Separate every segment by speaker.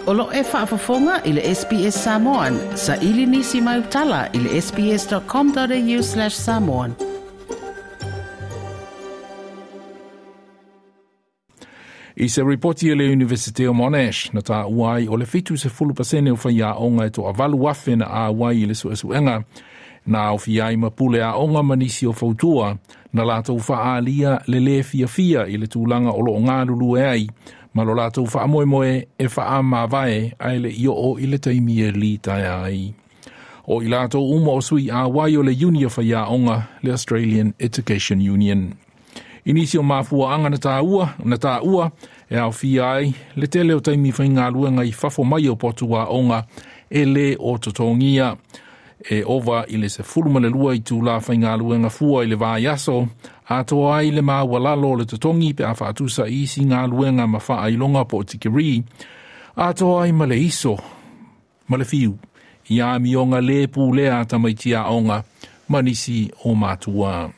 Speaker 1: O lo e faafofoga i le SBS Samoan. Saili nisi mau tala i le sbs.com.au/samoan.
Speaker 2: I se ripoti e le Universite o Monash, na tā uai o le 70% o whai e to avalu afe na a wai i le suesuenga, na au fiai ma pule a onga manisi o fautua, na lātou whaalia le le fia fia i le tūlanga o lo o ngā lulu e ai, ma lo lātou whaamoemoe e whaa mavae ai le i o i le taimi e li tae ai. O i lātou uma o sui a wai o le uni o whai le Australian Education Union. I o mafua anga na tā ua, e au fia ai, le tele o taimi whaingaluenga i fafo mai o potu a onga e le o totongia. E ova i le se fulu ma le lua i tū la whaingaluenga fua i le vai aso, a toa ai le maa walalo le totongi pe a whaatusa isi ngā luenga ma wha ailonga po o tikiri, a toa ai ma le iso, ma le fiu, i a mionga le pū lea tamaiti a onga, manisi o mātua.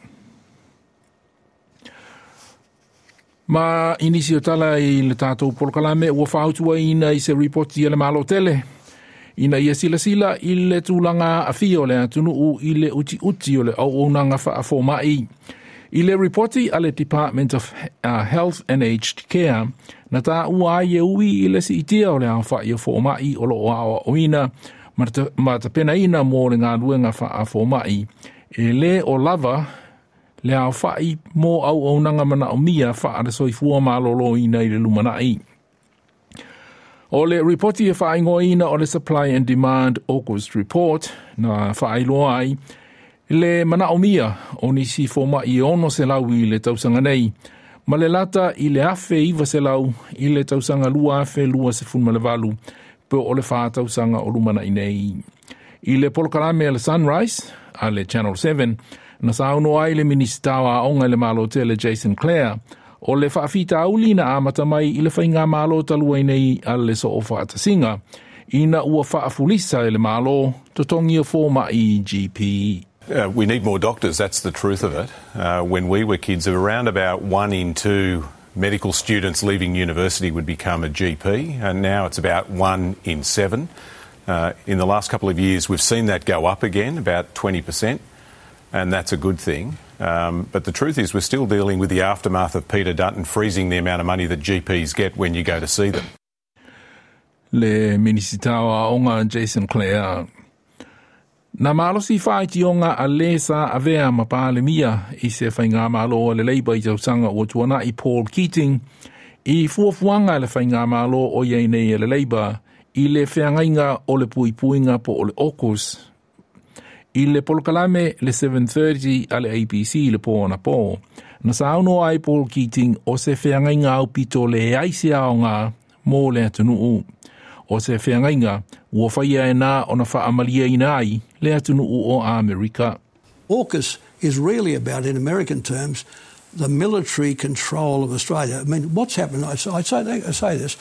Speaker 2: Ma inisi o tala i le tātou polokalame ua whautua ina i se ripoti e le malo tele. Ina ia sila sila i le tūlanga a fio le atunuu i le uti uti o le au onanga wha mai. I le ripoti a le Department of Health and Aged Care, na tā ua ai e ui i le si itia o le au wha i o mai o lo o ao oina, ma ta pena ina mō le ngā luenga wha mai. E le o lava le au whai mō au o nanga mana o mia wha ara soifua malolo ina i le lumanai. O le ripoti e whaingoina o le Supply and Demand August Report na whaailoa ai le mana o mia o nisi fōma i ono se lau i le tausanga nei, ma le lata i le afe iwa se lau i le tausanga lua afe lua se fun ma le valu pe o le wha tausanga o lumana i nei. I le polokalame le Sunrise, a le Channel 7, na sauno ai le minista o aonga le malo tele Jason Clare, o le whaafita auli na amata mai i le whainga malo talua i nei a le so o whaatasinga, ina ua whaafulisa e le malo, totongi o fōma i GP.
Speaker 3: We need more doctors, that's the truth of it. When we were kids, around about 1 in 2 medical students leaving university would become a GP, and now it's about 1 in 7. In the last couple of years, we've seen that go up again, about 20%, and that's a good thing. But the truth is we're still dealing with the aftermath of Peter Dutton freezing the amount of money that GPs get when you go to see them.
Speaker 2: Le Minisita o Aonga Jason Clare. Na malosi whaiti a le sa avea ma pālemia i se whainga malo o le leiba i tausanga o tuana i Paul Keating i fuafuanga le whainga malo o iei nei e le leiba i le wheangainga o le puipuinga po o le AUKUS. I le polokalame le 7:30 a le ABC le pō na pō. Na sauno ai Paul Keating o se wheangainga au pito le aise ao ngā mō le atunuu. O se wheangainga ua whaia e nā o na whaamalia ina ai le atunuu o Amerika.
Speaker 4: AUKUS is really about, in American terms, the military control of Australia. I mean, what's happened, I say this,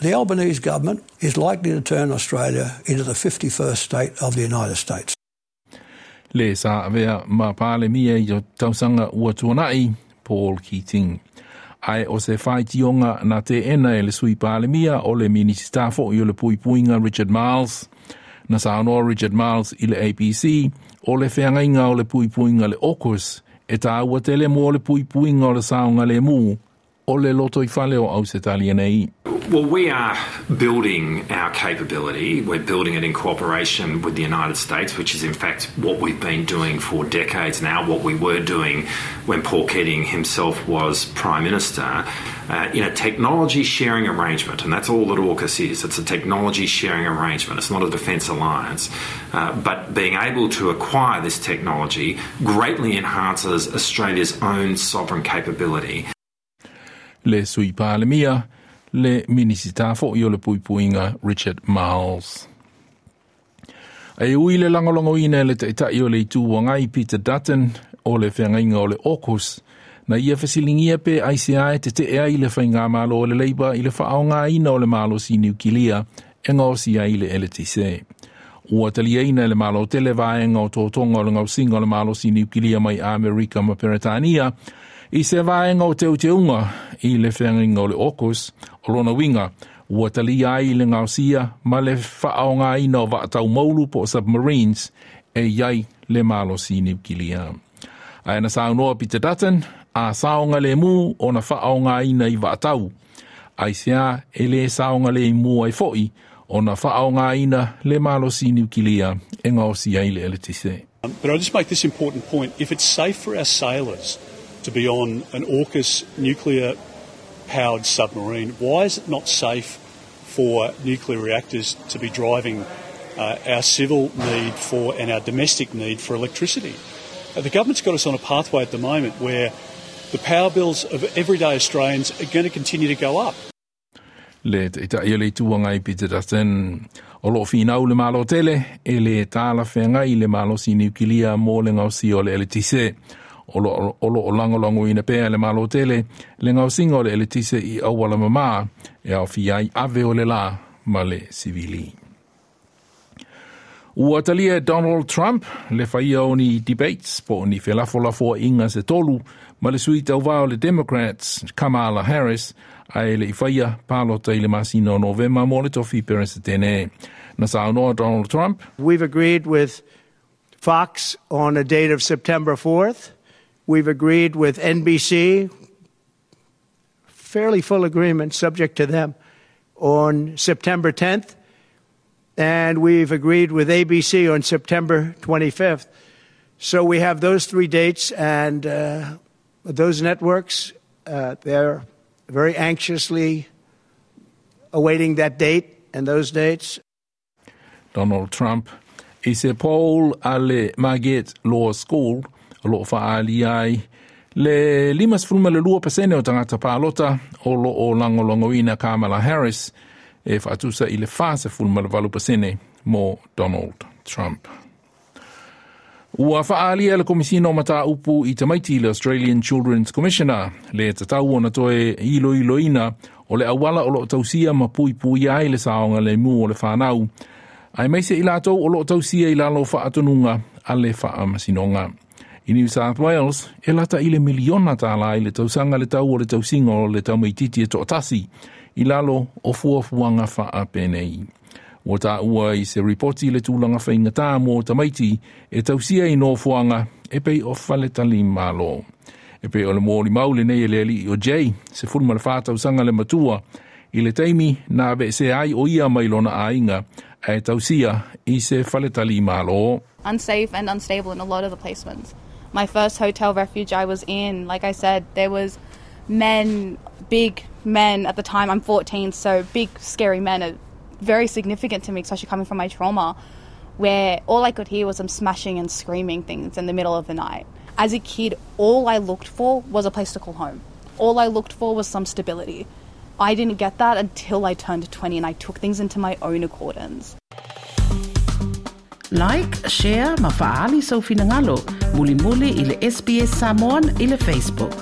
Speaker 4: the Albanese government is likely to turn Australia into the 51st state of the United States.
Speaker 2: Le sa avea ma pāle mia i tausanga ua tuanai, Paul Keating. Ai o se whaitionga na te ena e le sui pāle mia o le minisita fo i o le puipuinga Richard Marles. Na saunoa Richard Marles i le ABC o le wheangainga o le puipuinga le AUKUS e tā ua tele mō le puipuinga o le saunga le mū o le loto i whale o Ausetalia nei.
Speaker 5: Well, we are building our capability. We're building it in cooperation with the United States, which is in fact what we've been doing for decades now, what we were doing when Paul Keating himself was Prime Minister, in a technology sharing arrangement. And that's all that AUKUS is. It's a technology sharing arrangement. It's not a defence alliance. But being able to acquire this technology greatly enhances Australia's own sovereign capability.
Speaker 2: Le sui pālemia, le minisita fo i o le puipuinga Richard Marles. Ai ui le langolongo ina le taitai o le itu wangai Peter Dutton o le whangainga o le AUKUS, na ia fasilingia pe ICI te te ea i le whainga malo o le leiba i le whaonga ina o le malo si Niukilia e ngōsi ai le LTC. Ua talia ina le malo tele vaenga o tōtonga o le ngausinga o le malo si Niukilia mai Amerika ma Peretania, i se vaenga o te uteunga i le whangainga o le AUKUS o lona winga, Ua talia ai le gaosia ma le faaaogaina o vaataumaulu po o submarines e i ai le malosi niukilia. Ae na saunoa Peter Dutton, a saogalemu ona faaaogaina i vaatau. Aisea e lē saogalemu ai foʻi ona faaaogaina le malosi niukilia e gaosi ai le eletise.
Speaker 6: But I'll just make this important point. If it's safe for our sailors to be on an AUKUS nuclear powered submarine, why is it not safe for nuclear reactors to be driving our civil need for and our domestic need for electricity? The government's got us on a pathway at the moment where the power bills of everyday Australians are going to continue to go up.
Speaker 2: Le Taitai o le Itu Agai Peter Dutton. O loo finau le Malo tele e lē talafeagai le malosi niukilia mo le gaosia o le eletise. O loo lagolagoina pea le Malo tele le gaosiga o le eletise i auala mamā e aofia ai ave o le lā ma le sivili. Ua talia e Donald Trump le faia o ni debates po o ni felafolafoaiga se tolu ma le sui tauvā o le Democrats Kamala Harris ae le i faia palota i le masina o Novema mo le tofi Peresetene. Na saunoa Donald Trump.
Speaker 7: We've agreed with Fox on a date of September 4th. We've agreed with NBC, fairly full agreement, subject to them, on September 10th. And we've agreed with ABC on September 25th. So we have those three dates, and those networks, they're very anxiously awaiting that date and those dates.
Speaker 2: Donald Trump i se poll a le Marquette Law School o loo faaalia ai le 52% o tagata palota o loo lagolagoina Kamala Harris e faatusa i le 48% mo Donald Trump. Ua faaalia le Komisina o Mataupu i Tamaiti le Australian Children's Commissioner le tatau ona toe iloiloina o le auala o loo tausia ma puipuia ai le saogalemu o le fanau aemaise i latou o loo tausia i lalo o faatonuga a le faamasinoga. I New South Wales, e lata i le miliona tālā i le tausaga le tau o le tausiga o le tamaititi e toatasi i lalo o fuafuaga faapenei. Ua taua i se ripoti le tulaga faigata mo tamaiti e tausia i nofoaga e pei o faletalimalo. E pei o le molimau lenei e le alii o Jay, 14 tausaga le matua, i le taimi na aveesea ai o ia mai lona aiga ae tausia i se faletalimalo.
Speaker 8: Unsafe and unstable in a lot of the placements. My first hotel refuge I was in, like I said, there was men, big men at the time. I'm 14, so big, scary men are very significant to me, especially coming from my trauma, where all I could hear was them smashing and screaming things in the middle of the night. As a kid, all I looked for was a place to call home. All I looked for was some stability. I didn't get that until I turned 20 and I took things into my own accordance.
Speaker 1: Like, share ma faaali sou finagalo. Mulimuli i le SBS Samoan i le Facebook.